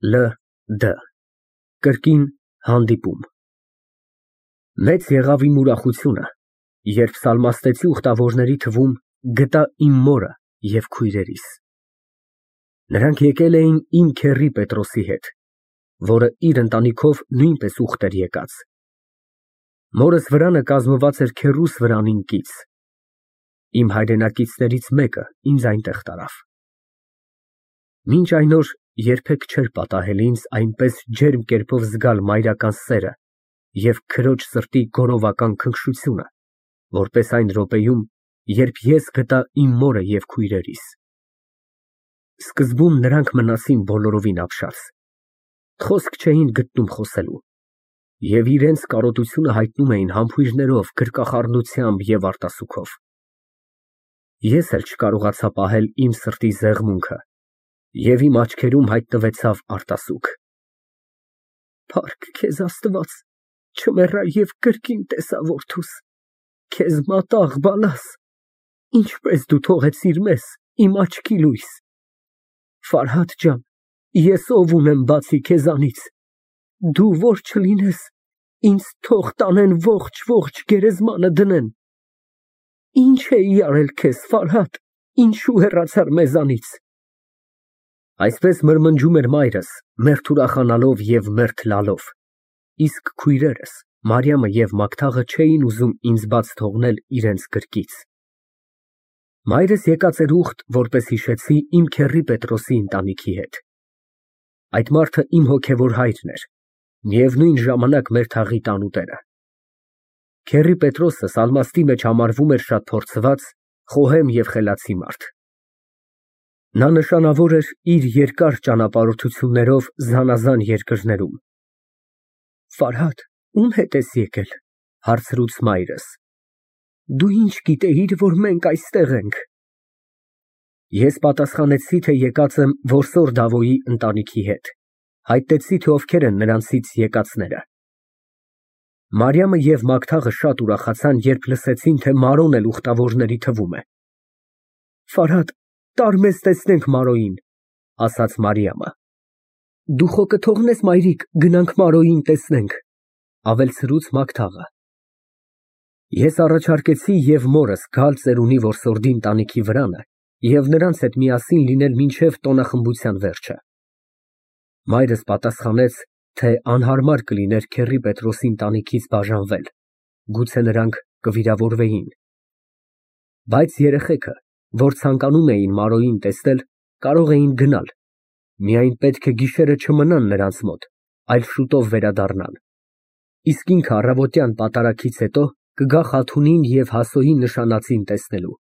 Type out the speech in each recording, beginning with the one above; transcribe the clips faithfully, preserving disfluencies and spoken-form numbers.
Լ Դ Կրկին հանդիպում։ Մեծ եղավ իմ ուրախությունը, երբ սալմաստեցի ուխտավորների թվում գտա իմ մորը և քույրերիս։ Նրանք եկել էին իմ քեռի Պետրոսի հետ, որը իր ընտանիքով նույնպես ուխտ էր եկած։ Մորս վրանը կազմված էր քեռուս վրանին կից։ Իմ հայրենակիցներից մեկը ինձ այնտեղ տարավ։ Մինչ այն օր երբեք չէր պատահել ինձ այնպես ջերմ կերպով զգալ մայրական սերը և քրոջ սրտի գոռովական քնքշությունը, որպես այն րոպեում, երբ ես գտա իմ մորը և քույրերիս։ Սկզբում նրանք մնացին բոլորովին ապշած, խոսք չէին գտնում խոսելու և իրենց կարոտությունը հայտնում էին համբույրներով, գրկախառնությամբ և արտասուքով։ Ես էլ չկարողացա պահել իմ սրտի զեղմունքը և իմ աչքերում հայտնվեցավ արտասուք։ Փառք քեզ, Աստված, չմեռա և կրկին տեսա որդուս, քեզ մատաղ բալաս, ինչպես դու թողեցիր մեզ, իմ աչքի լույս։ Ֆարհադ ջան, ես ով ունեմ բացի քեզանից, դու որ չլինես, ինձ թող տանեն ողջ գերեզմանը դնեն։ Ինչ էի արել քեզ, Ֆարհադ, ինչու հեռացար մեզանից։ Այսպես մրմնջում էր մայրս, մերթ ուրախանալով և մերթ լալով, իսկ քույրերս, Մարիամը և Մագդաղը չէին ուզում ինձ բաց թողնել իրենց գրկից։ Մայրս եկած էր ուխտ, որպես հիշեցի իմ քեռի Պետրոսի ընտանիքի հետ։ Այդ մարդը իմ հոգևոր հայրն էր, միևնույն ժամանակ մեր թաղի տանուտերը։ Քեռի Պետրոսը Սալմաստի մեջ համարվում էր շատ փորձված, խոհեմ և խելացի մարդ։ Նա նշանավոր էր իր երկար ճանապարհորդություններով զանազան երկրներում։ Ֆարհադ, ում հետ ես եկել, հարցրուց մայրս։ Դու ինչ գիտեիր, որ մենք այստեղ ենք։ Ես պատասխանեցի, թե եկած եմ որսոր Դավոյի ընտանիքի հետ, հայտնեցի, թե ովքեր են նրանցից եկածները։ Մարիամը և Մագդաղը շատ ուրախացան, երբ լսեցին, թե Մարոն էլ ուխտավորների թվում է։ Ֆարհադ, տար մեզ տեսնենք Մարոյին, ասաց Մարիամը։ Դու խո կթողնես, մայրիկ, գնանք Մարոյին տեսնենք, ավելցրուց Մագդաղը։ Ես առաջարկեցի և մորս գալ ծերունի որսորդի ընտանիքի վրանը և նրանց հետ միասին լինել մինչև տոնախմբության վերջը։ Մայրս պատասխանեց, թե անհարմար կլիներ քեռի Պետրոսի ընտանիքից բաժանվել, գուցե նրանք կվիրավորվեին։ Բայց երեխեքը, որ ցանկանում էին Մարոյին տեսնել, կարող էին գնալ, միայն պետք է գիշերը չմնան նրանց մոտ, այլ շուտով վերադառնան, իսկ ինքը առավոտյան պատարագից հետո կգա Խաթունին և Հասոյի նշանածին տեսնելու։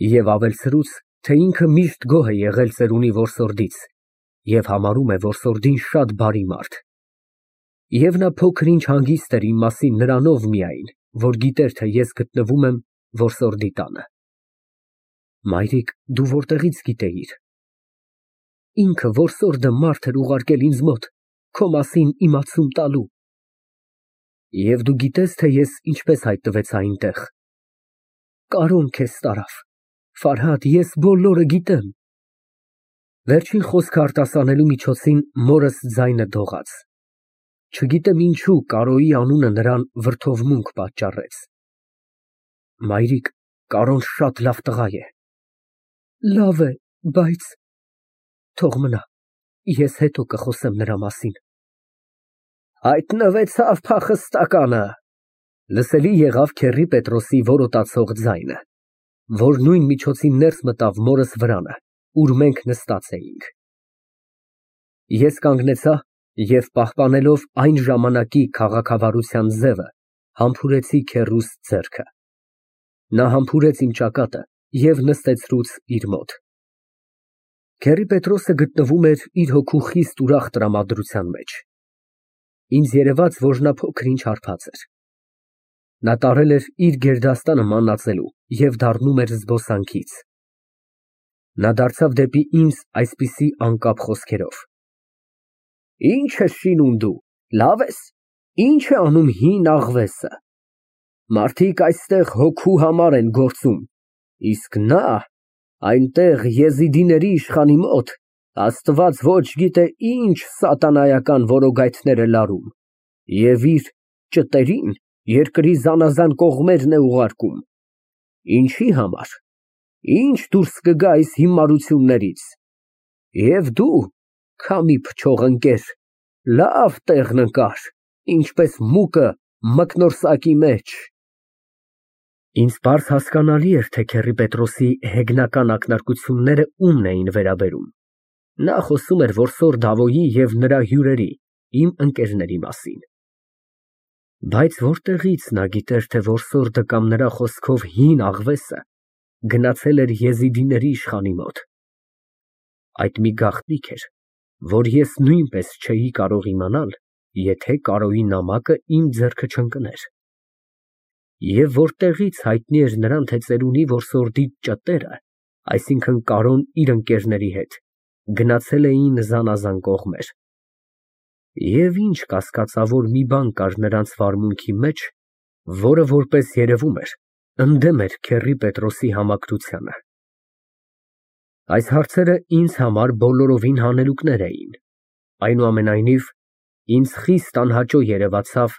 Եվ ավելցրուց, թե ինքը միշտ գոհ է եղել ծերունի որսորդից և համարում է որսորդին շատ բարի մարդ։ Եվ նա փոքր-ինչ հանգիստ էր իմ մասին նրանով միայն, որ գիտեր, թե ես գտնվում եմ որսորդի տանը։ Մայրիկ, դու որտեղի՞ց գիտեիր։ Ինքը որսորդը մարդ էր ուղարկել ինձ մոտ, քո մասին իմացում տալու։ Եվ դու գիտես, թե ես ինչպես հայտնվեցի այնտեղ։ Կարոն քեզ տարավ, Ֆարհադ, ես բոլորը գիտեմ։ Վերջին խոսքը արտասանելու միջոցին մորս ձայնը դողաց։ Չգիտեմ ինչու Կարոյի անունը նրան վրդովմունք պատճառեց։ Մայրիկ, Կարոն շատ լավ տղա է։ Լավ է, բայց… Թող մնա, ես հետո կխոսեմ նրա մասին։ Հայտնվեցավ փախստականը, լսելի եղավ քեռի Պետրոսի որոտացող ձայնը, որ նույն միջոցին ներս մտավ մորս վրանը, ուր մենք նստած էինք։ Ես կանգնեցա և պահպանելով այն ժամանակի քաղաքավարության ձևը, համբուրեցի քեռուս ձեռքը։ Նա համբուրեց իմ ճակատը և նստեցրուց իր մոտ։ Քեռի Պետրոսը գտնվում էր իր հոգու խիստ ուրախ տրամադրության մեջ։ Ինձ երևաց, որ նա փոքր-ինչ հարբած էր։ Նա տարել էր իր գերդաստանը մանածելու և դառնում էր զբոսանքից։ Նա դարձավ դեպի ինձ այսպիսի անկապ խոսքերով. Ի՞նչ ես շինում դու, լավ ես, ի՞նչ է անում հին աղվեսը։ Մարդիկ այստեղ հոգու համար են գործում, իսկ նա այնտեղ եզիդիների իշխանի մոտ Աստված ոչ գիտե ինչ սատանայական որոգայթներ է լարում և իր ճտերին երկրի զանազան կողմերն է ուղարկում։ Ինչի համար, ինչ դուրս կգա այս հիմարություններից։ Եվ դու, քամի փչող ընկեր, լավ տեղն ընկար, ինչպես մուկը մկնորսակի մեջ։ Ինձ պարզ հասկանալի էր, թե Քեռի Պետրոսի հեգնական ակնարկությունները ումն էին վերաբերում։ Նա խոսում էր որսոր Դավոյի և նրա հյուրերի, իմ ընկերների մասին։ Բայց որտեղից նա գիտեր, թե որսորդը կամ նրա խոսքով հին աղվեսը գնացել էր եզիդիների իշխանի մոտ։ Այդ մի գաղտնիք էր, որ ես նույնպես չէի կարող իմանալ, եթե Կարոյի նամակը իմ ձեռքը չընկներ։ Եվ որտեղից հայտնի էր նրան, թե ծերունի որսորդի ճտերը, այսինքն Կարոն իր ընկերների հետ, գնացել էին զանազան կողմեր։ Եվ ինչ կասկածավոր մի բան կար նրանց վարմունքի մեջ, որը, որպես երևում էր, ընդդեմ էր Քեռի Պետրոսի համակրությանը։ Այս հարցերը ինձ համար բոլորովին հանելուկներ էին։ Այնուամենայնիվ, ինձ խիստ անհաճո երևացավ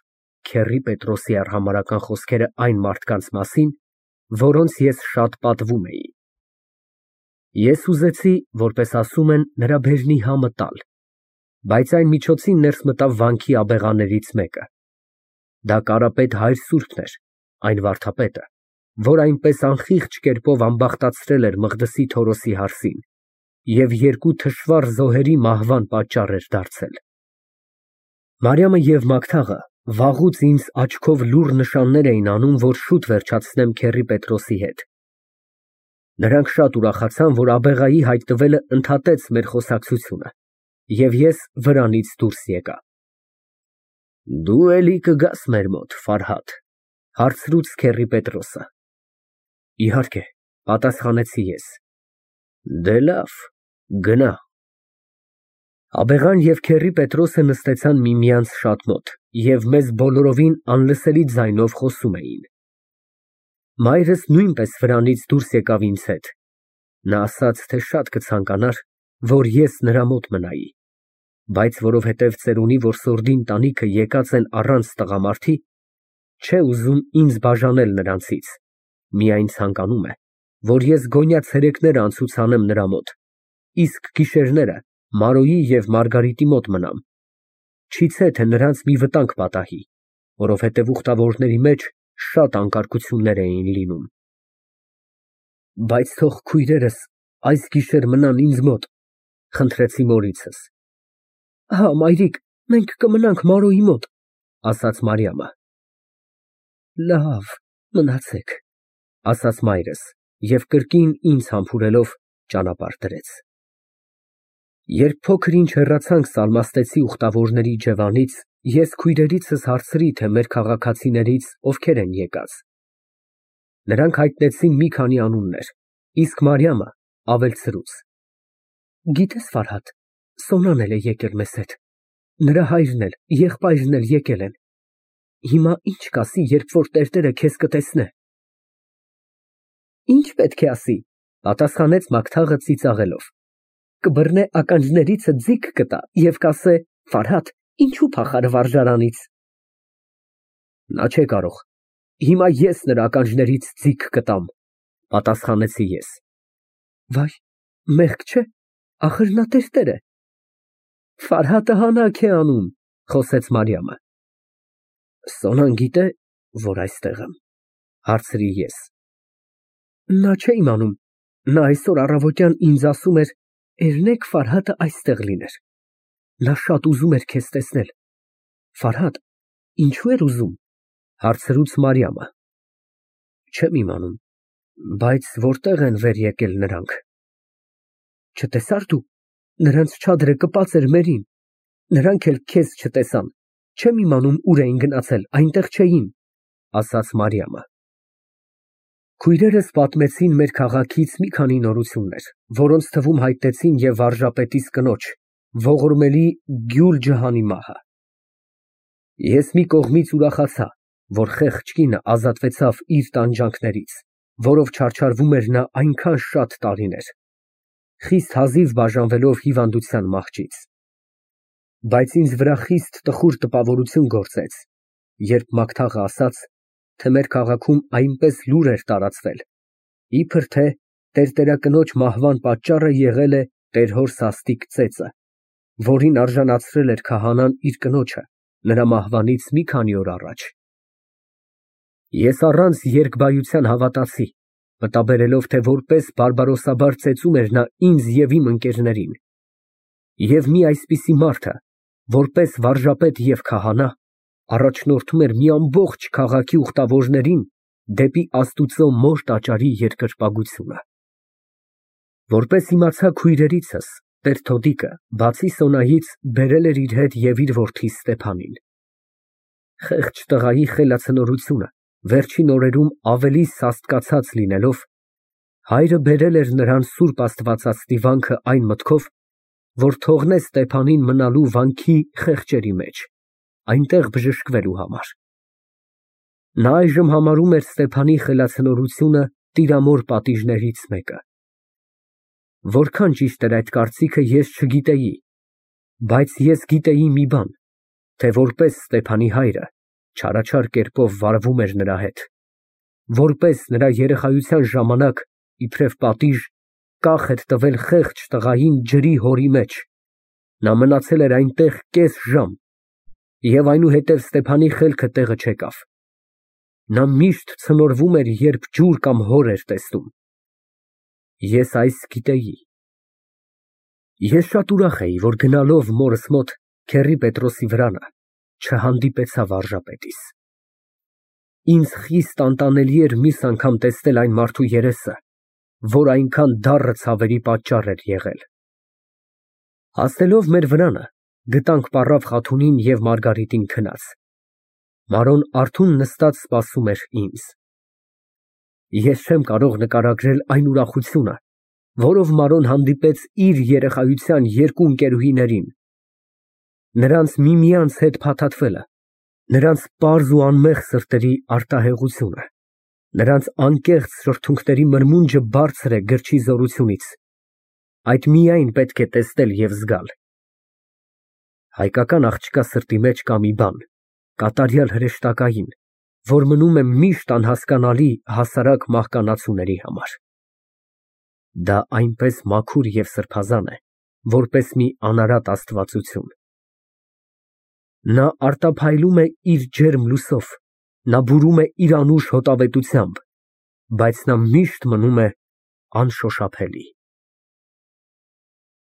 Քեռի Պետրոսի արհամարհական խոսքերը այն մարդկանց մասին, որոնց ես շատ պատվում էի։ Ես ուզեցի, որպես ասում են, նրա բերնի համը տալ, բայց այն միջոցին ներս մտավ վանքի աբեղաներից մեկը։ Դա Կարապետ հայր սուրբն էր, այն վարդապետը, որ այնպես անխիղճ կերպով ամբախտացրել էր Մղդսի Թորոսի հարսին և երկու թշվառ զոհերի մահվան պատճառ էր դարձել։ Մարիամը և Մագթաղը վաղուց ինձ աչքով լուռ նշաններ էին անում, որ շուտ վերջացնեմ Քեռի Պետրոսի հետ։ Նրանք շատ ուրախացան, որ աբեղայի հայտնվելը ընդհատեց մեր խոսակցությունը, և ես վրանից դուրս եկա։ Դու էլի կգաս մեր մոտ, Ֆարհադ, հարցրուց Քեռի Պետրոսը։ Իհարկե, պատասխանեցի ես։ Դե լավ, գնա։ Աբեղան և Քեռի Պետրոսը նստեցան միմյանց շատ մոտ և մեզ բոլորովին անլսելի ձայնով խոսում էին։ Մայրս նույնպես վրանից դուրս եկավ ինձ հետ։ Նա ասաց, թե շատ կցանկանար, որ ես նրա մոտ մնայի, բայց որովհետև ծերունի որսորդի ընտանիքը եկած են առանց տղամարդի, չէ ուզում ինձ բաժանել նրանցից, միայն ցանկանում է, որ ես գոնյա ցերեկները անցուցանեմ նրա մոտ, իսկ գիշերները Մարոյի և Մարգարիտի մոտ մնամ, չիցե թե նրանց մի վտանգ պատահի, որովհետև ուխտավորների մեջ շատ անկարգություններ էին լինում։ Բայց թող քույրերս այս գիշեր մնան ինձ մոտ, խնդրեցի մորիցս։ Հա, մայրիկ, մենք կմնանք Մարոյի մոտ, ասաց Մարիամը։ Լավ, մնացեք, ասաց մայրս և կրկին ինձ համբուրելով ճանապարհ դրեց։ Երբ փոքր ինչ հեռացանք Սալմաստեցի ուխտավորների իջևանից, ես քույրերիցս հարցրի, թե մեր քաղաքացիներից ովքեր են եկած։ Նրանք հայտնեցին մի քանի անուններ, իսկ Մարիամը ավելցրուց։ Գիտես, Ֆարհադ, Սոնան էլ է եկել մեզ հետ, նրա հայրն էլ, եղբայրն էլ եկել են։ Հիմա ինչ կասի, երբ որ տերտերը քեզ կտեսնե։ Ինչ պետք է ասի, պատասխանեց Մագթաղը ծիծաղելով։ Կբռնե ականջներիցը ձիգ կտա և կասե. Ֆարհադ, ինչու փախարը վարժարանից։ Նա չէ կարող, հիմա ես նրա ականջներից ձիգ կտամ, պատասխանեցի ես։ Վայ, մեղք չէ, ախր նա տերտեր է։ Ֆարհատը հանաք է անում, խոսեց Մարիամը։ Սոնան գիտե, որ այստեղ եմ, հարցրի ես։ Նա չէ իմանում, նա այսօր առավոտյան ինձ ասում էր, երնեք Ֆարհատը այստեղ լիներ։ Նա շատ ուզում էր քեզ տեսնել։ Ֆարհադ, ինչու էր ուզում, հարցրուց Մարիամը։ Չեմ իմանում, բայց որտեղ են վեր եկել նրանք։ Չտեսա՞ր դու, նրանց չադրը կպած էր մերին, նրանք էլ քեզ չտեսան, չեմ իմանում ուր էին գնացել, այնտեղ չէին, ասաց Մարիամը։ Քույրերս պատմեցին մեր քաղաքից մի քանի նորություններ, որոնց թվում հայտնեցին և վարժապետիս կնոջ, ողորմելի Գյուլ Ջհանի մահը։ Ես մի կողմից ուրախացա, որ խեղճ կինը ազատվեցավ իր տանջանքներից, որով չարչարվում էր նա այնքան շատ տարիներ։ Խիստ հազիվ բաժանվելով հիվանդության մահճից։ Բայց ինձ վրա խիստ տխուր տպավորություն գործեց, երբ Մագթաղը ասաց, թե մեր քաղաքում այնպես լուր էր տարածվել, իբր թե տերտերակնոջ մահվան պատճառը եղել է տեր հոր սաստիկ ծեծը, որին արժանացրել էր քահանան իր կնոջը նրա մահվանից մի քանի օր առաջ։ Ես առանց երկբայության հավատացի, մտաբերելով, թե որպես բարբարոսաբար ծեծում էր նա ինձ և իմ ընկերներին, և մի այսպիսի մարդը, որպես վարժապետ և քահանա, առաջնորդում էր մի ամբողջ քաղաքի ուխտավորներին դեպի Աստուծո մոր տաճարի երկրպագությունը։ Որպես իմացա քույրերիցս, տեր Թոդիկը, բացի Սոնայից, բերել էր իր հետ և իր որդի Ստեփանին։ Խեղճ տղայի խելացնորությունը վերջին օրերում ավելի սաստկացած լինելով, հայրը բերել էր նրան սուրբ աստվածածդիվանքը այն մտքով, որ թողնե Ստեփանին մնալու վանքի խեղճերի մեջ, այնտեղ բժշկվելու համար։ Նա այժմ համարում էր Ստեփանի խելացնորությունը տիրամոր պատիժներից մեկը։ Որքան ճիշտ էր այդ կարծիքը, ես չգիտեի, բայց ես գիտեի մի բան, թե որպես Ստեփանի հայրը չարաչար կերպով վարվում էր նրա հետ, որպես նրա երեխայության ժամանակ, իբրև պատիժ, կախ էր տվել խեղճ տղային ջրի հորի մեջ, նա մնացել էր այնտեղ կես ժամ, և այնուհետև Ստեփանի խելքը տեղը չեկավ։ Նա միշտ ցնորվում էր, երբ ջուր կամ հոր էր տեսնում։ Ես այս գիտեի։ Ես շատ ուրախ էի, որ գնալով մորս մոտ, քեռի Պետրոսի վրանը, չհանդիպեցա վարժապետիս։ Ինձ խիստ անտանելի էր մյուս անգամ տեսնել այն մարդու երեսը, որ այնքան դառը ցավերի պատճառ էր եղել։ Հասնելով մեր վրանը, գտանք պառավ Խաթունին և Մարգարիտին քնած։ Մարոն արթուն նստած սպասում էր ինձ։ Ես չեմ կարող նկարագրել այն ուրախությունը, որով Մարոն հանդիպեց իր երեխայության երկու ընկերուհիներին, նրանց միմյանց հետ փաթաթվելը, նրանց պարզ ու անմեղ սրտերի արտահեղությունը, նրանց անկեղծ շրթունքների մրմունջը բարձր է գրչի զորությունից, այդ միայն պետք է տեսնել և զգալ։ Հայկական աղջկա սրտի մեջ կա մի բան, կատարյալ հրեշտակային, որ մնում է միշտ անհասկանալի հասարակ մահկանացուների համար։ Դա այնպես մաքուր և սրբազան է, որպես մի անարատ աստվածություն։ Նա արտափայլում է իր ջերմ լույսով, նա բուրում է իր անուշ հոտավետությամբ, բայց նա միշտ մնում է անշոշափելի։